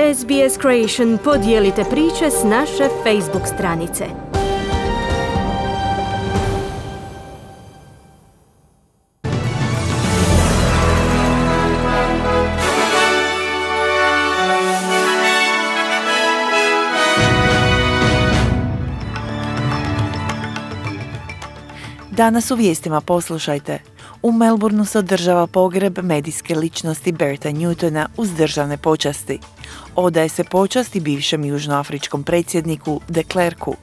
SBS Creation, podijelite priče s naše Facebook stranice. Danas u vijestima poslušajte. U Melbourneu se održava pogreb medijske ličnosti Berta Newtona uz državne počasti. Odaje se počasti bivšem južnoafričkom predsjedniku de Klerku,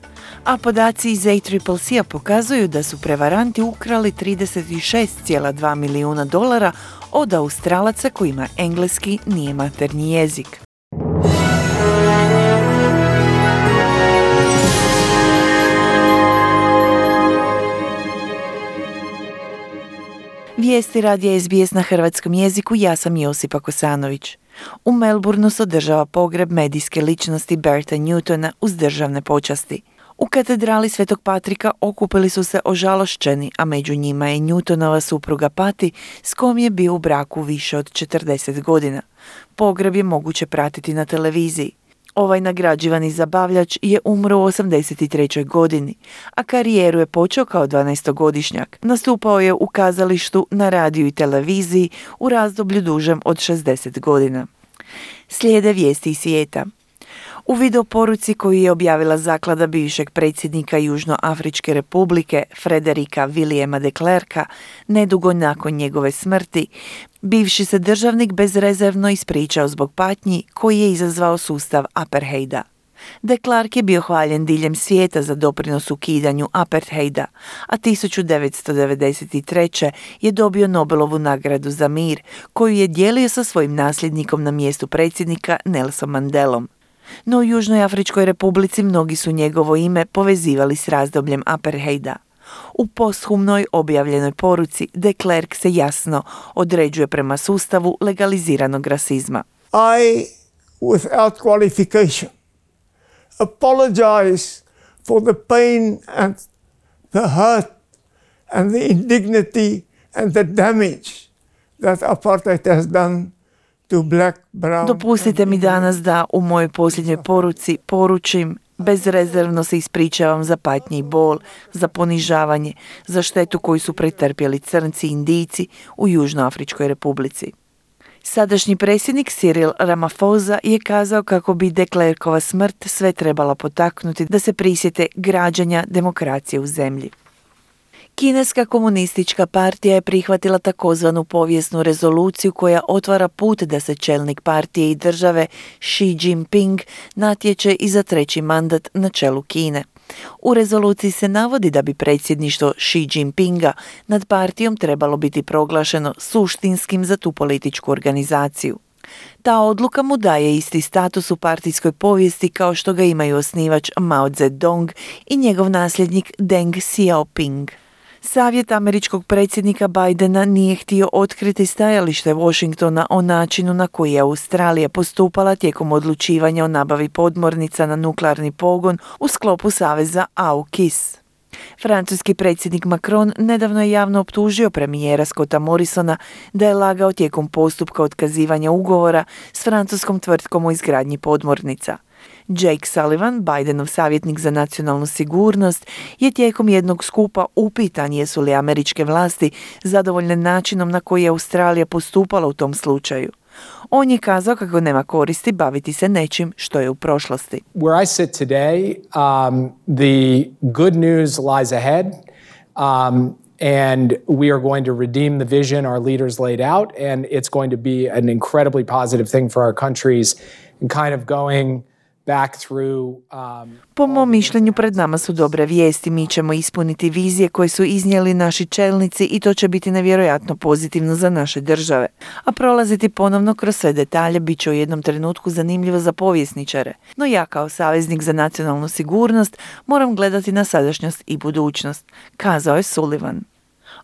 a podaci iz ACCC-a pokazuju da su prevaranti ukrali $36,2 milijuna od Australaca kojima engleski nije maternji jezik. Vijesti radija SBS na hrvatskom jeziku, ja sam Josipa Kosanović. U Melbourneu se održava pogreb medijske ličnosti Berta Newtona uz državne počasti. U katedrali Svetog Patrika okupili su se ožalošćeni, a među njima je Newtonova supruga Patty, s kojom je bio u braku više od 40 godina. Pogreb je moguće pratiti na televiziji. Ovaj nagrađivani zabavljač je umro u 83. godini, a karijeru je počeo kao 12-godišnjak. Nastupao je u kazalištu, na radiju i televiziji u razdoblju dužem od 60 godina. Slijede vijesti iz svijeta. U videoporuci koju je objavila zaklada bivšeg predsjednika Južnoafričke republike Frederika Williama de Klerka nedugo nakon njegove smrti, bivši se državnik bezrezervno ispričao zbog patnji koji je izazvao sustav apartheida. De Klerk je bio hvaljen diljem svijeta za doprinos ukidanju apartheida, a 1993. je dobio Nobelovu nagradu za mir, koju je dijelio sa svojim nasljednikom na mjestu predsjednika Nelson Mandelom. No u Južnoj Afričkoj republici mnogi su njegovo ime povezivali s razdobljem apartheida. U posthumnoj objavljenoj poruci de Klerk se jasno određuje prema sustavu legaliziranog rasizma. I, without qualification, apologize for the pain and the hurt and the indignity and the damage that apartheid has done. Dopustite mi danas da u mojoj posljednjoj poruci poručim: bezrezervno se ispričavam za patnje i bol, za ponižavanje, za štetu koju su pretrpjeli crnci i Indijci u Južnoafričkoj republici. Sadašnji predsjednik Cyril Ramaphosa je kazao kako bi de Klerkova smrt sve trebala potaknuti da se prisjete građanja demokracije u zemlji. Kineska komunistička partija je prihvatila takozvanu povijesnu rezoluciju koja otvara put da se čelnik partije i države Xi Jinping natječe i za treći mandat na čelu Kine. U rezoluciji se navodi da bi predsjedništvo Xi Jinpinga nad partijom trebalo biti proglašeno suštinskim za tu političku organizaciju. Ta odluka mu daje isti status u partijskoj povijesti kao što ga imaju osnivač Mao Zedong i njegov nasljednik Deng Xiaoping. Savjet američkog predsjednika Bidena nije htio otkriti stajalište Washingtona o načinu na koji je Australija postupala tijekom odlučivanja o nabavi podmornica na nuklearni pogon u sklopu saveza AUKUS. Francuski predsjednik Macron nedavno je javno optužio premijera Scotta Morrisona da je lagao tijekom postupka otkazivanja ugovora s francuskom tvrtkom o izgradnji podmornica. Jake Sullivan, Bidenov savjetnik za nacionalnu sigurnost, je tijekom jednog skupa upitan jesu li američke vlasti zadovoljne načinom na koji je Australija postupala u tom slučaju. On je kazao kako nema koristi baviti se nečim što je u prošlosti. Where I sit today, the good news lies ahead. And we are going to redeem the vision our leaders laid out, and it's going to be an incredibly positive thing for our countries and kind of going back through. Po mom mišljenju pred nama su dobre vijesti. Mi ćemo ispuniti vizije koje su iznijeli naši čelnici i to će biti nevjerojatno pozitivno za naše države. A prolaziti ponovno kroz sve detalje bit će u jednom trenutku zanimljivo za povjesničare. No ja kao saveznik za nacionalnu sigurnost moram gledati na sadašnjost i budućnost, kazao je Sullivan.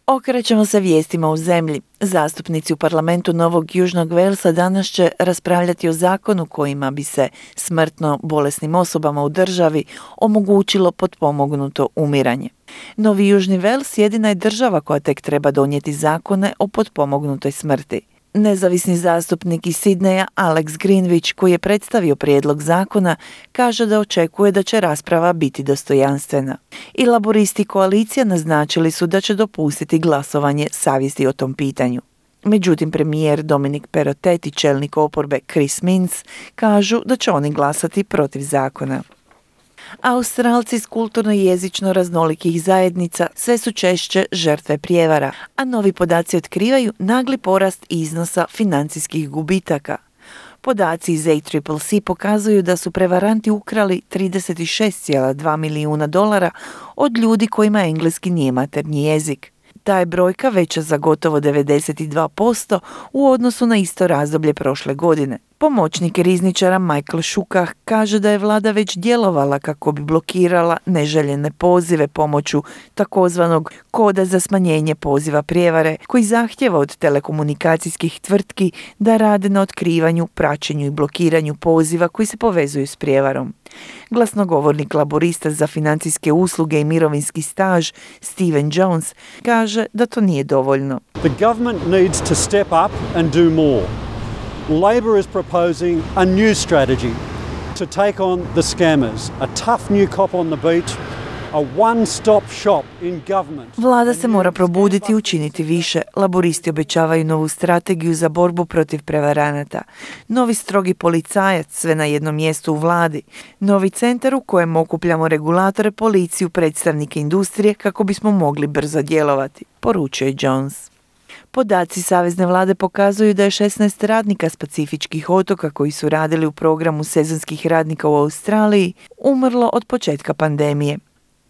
Okrećemo se vijestima u zemlji. Zastupnici u parlamentu Novog Južnog Walesa danas će raspravljati o zakonu kojima bi se smrtno bolesnim osobama u državi omogućilo potpomognuto umiranje. Novi Južni Wales jedina je država koja tek treba donijeti zakone o potpomognutoj smrti. Nezavisni zastupnik iz Sidneja Alex Greenwich, koji je predstavio prijedlog zakona, kaže da očekuje da će rasprava biti dostojanstvena. I laboristi i koalicija naznačili su da će dopustiti glasovanje savjesti o tom pitanju. Međutim, premijer Dominic Perrottet i čelnik oporbe Chris Minns kažu da će oni glasati protiv zakona. Australci iz kulturno i jezično raznolikih zajednica sve su češće žrtve prijevara, a novi podaci otkrivaju nagli porast iznosa financijskih gubitaka. Podaci iz ACCC pokazuju da su prevaranti ukrali $36,2 milijuna od ljudi kojima engleski nije maternji jezik. Ta je brojka veća za gotovo 92% u odnosu na isto razdoblje prošle godine. Pomoćnik rizničara Michael Shukah kaže da je vlada već djelovala kako bi blokirala neželjene pozive pomoću takozvanog koda za smanjenje poziva prijevare, koji zahtjeva od telekomunikacijskih tvrtki da rade na otkrivanju, praćenju i blokiranju poziva koji se povezuju s prijevarom. Glasnogovornik laborista za financijske usluge i mirovinski staž Stephen Jones kaže da to nije dovoljno. The government needs to step up and do more. Labor is proposing a new strategy to take on the scammers, a tough new cop on the beat, a one-stop shop in government. Vlada se mora probuditi i učiniti više. Laboristi obećavaju novu strategiju za borbu protiv prevaranata. Novi strogi policajac, sve na jednom mjestu u vladi. Novi centar u kojem okupljamo regulatore, policiju, predstavnike industrije kako bismo mogli brzo djelovati, poručuje Jones. Podaci savezne vlade pokazuju da je 16 radnika s pacifičkih otoka koji su radili u programu sezonskih radnika u Australiji umrlo od početka pandemije.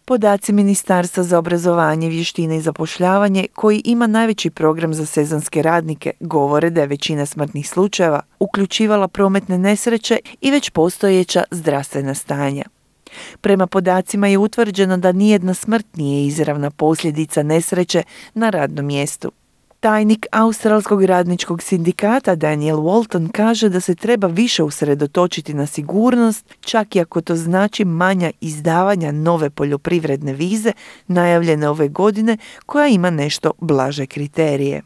Podaci Ministarstva za obrazovanje, vještine i zapošljavanje, koji ima najveći program za sezonske radnike, govore da je većina smrtnih slučajeva uključivala prometne nesreće i već postojeća zdravstvena stanja. Prema podacima je utvrđeno da nijedna smrt nije izravna posljedica nesreće na radnom mjestu. Tajnik Australskog radničkog sindikata Daniel Walton kaže da se treba više usredotočiti na sigurnost, čak i ako to znači manja izdavanja nove poljoprivredne vize najavljene ove godine, koja ima nešto blaže kriterije.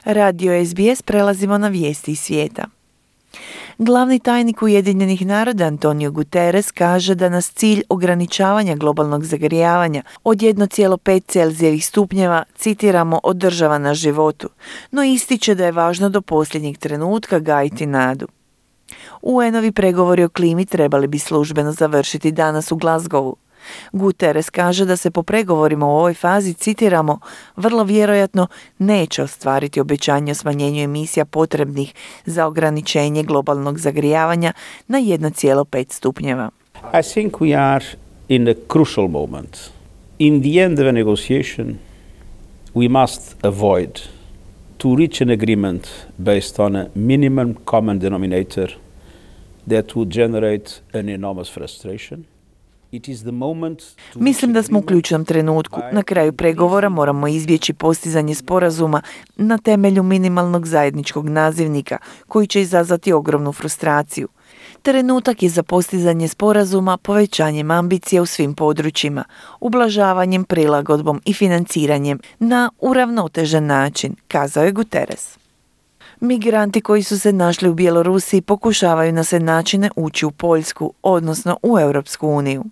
Radio SBS, prelazimo na vijesti iz svijeta. Glavni tajnik Ujedinjenih naroda Antonio Guterres kaže da nas cilj ograničavanja globalnog zagrijavanja od 1,5 Celzijevih stupnjeva, citiramo, održava na životu, no ističe da je važno do posljednjeg trenutka gajiti nadu. UN-ovi pregovori o klimi trebali bi službeno završiti danas u Glasgowu. Guterres kaže da se po pregovorima u ovoj fazi, citiramo, vrlo vjerojatno neće ostvariti obećanje o smanjenju emisija potrebnih za ograničenje globalnog zagrijavanja na 1,5 stupnjeva. I think we are in a crucial moment. In the end of a negotiation, we must avoid to reach an agreement based on a minimum common denominator that would generate an enormous frustration. Mislim da smo u ključnom trenutku. Na kraju pregovora moramo izbjeći postizanje sporazuma na temelju minimalnog zajedničkog nazivnika, koji će izazvati ogromnu frustraciju. Trenutak je za postizanje sporazuma povećanjem ambicija u svim područjima, ublažavanjem, prilagodbom i financiranjem na uravnotežen način, kazao je Guterres. Migranti koji su se našli u Bjelorusiji pokušavaju na sve načine ući u Poljsku, odnosno u Europsku uniju.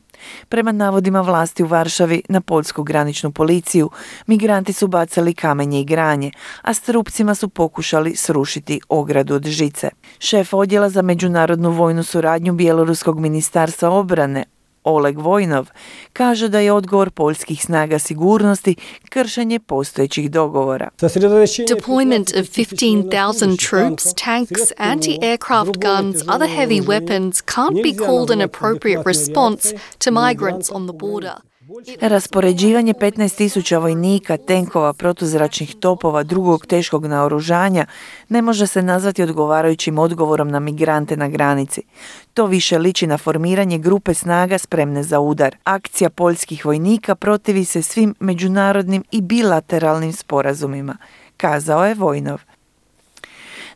Prema navodima vlasti u Varšavi na poljsku graničnu policiju, migranti su bacali kamenje i granje, a s trupcima su pokušali srušiti ogradu od žice. Šef odjela za međunarodnu vojnu suradnju Bjeloruskog ministarstva obrane, Oleg Vojnov, kaže da je odgovor poljskih snaga sigurnosti kršenje postojećih dogovora. Deployment of 15,000 troops, tanks, anti-aircraft guns, other heavy weapons can't be called an appropriate response to migrants on the border. Raspoređivanje 15.000 vojnika, tenkova, protuzračnih topova, drugog teškog naoružanja ne može se nazvati odgovarajućim odgovorom na migrante na granici. To više liči na formiranje grupe snaga spremne za udar. Akcija poljskih vojnika protivi se svim međunarodnim i bilateralnim sporazumima, kazao je Vojnov.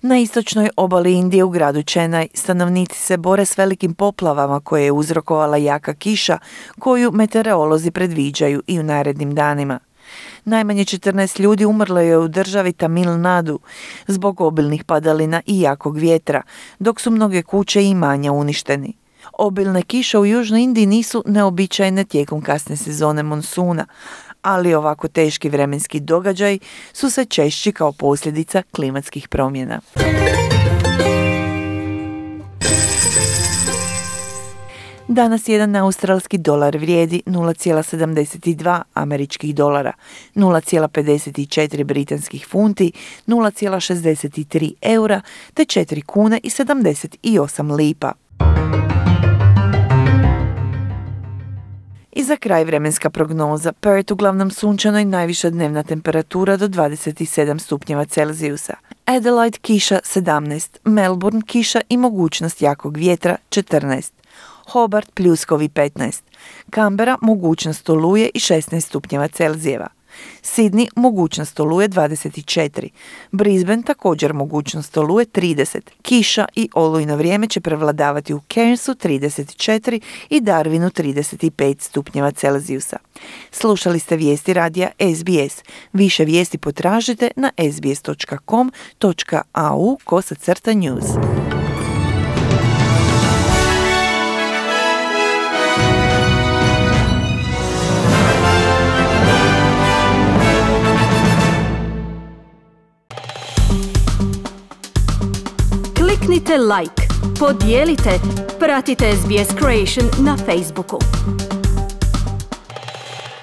Na istočnoj obali Indije u gradu Chennai stanovnici se bore s velikim poplavama koje je uzrokovala jaka kiša koju meteorolozi predviđaju i u narednim danima. Najmanje 14 ljudi umrlo je u državi Tamil Nadu zbog obilnih padalina i jakog vjetra, dok su mnoge kuće i imanja uništeni. Obilne kiše u Južnoj Indiji nisu neobičajne tijekom kasne sezone monsuna, ali ovako teški vremenski događaj su sve češći kao posljedica klimatskih promjena. Danas jedan australski dolar vrijedi 0,72 američkih dolara, 0,54 britanskih funti, 0,63 eura te 4 kune i 78 lipa. I za kraj vremenska prognoza. Perth uglavnom sunčano i najviša dnevna temperatura do 27 stupnjeva Celzijusa. Adelaide kiša 17, Melbourne kiša i mogućnost jakog vjetra 14. Hobart pljuskovi 15, Canberra mogućnost oluje i 16 stupnjeva Celzijeva. Sydney mogućnost oluje 24, Brisbane također mogućnost oluje 30, kiša i olujno vrijeme će prevladavati u Cairnsu 34 i Darwinu 35 stupnjeva Celzijusa. Slušali ste vijesti radija SBS. Više vijesti potražite na sbs.com.au/news. Kliknite like, podijelite, pratite SBS Creation na Facebooku.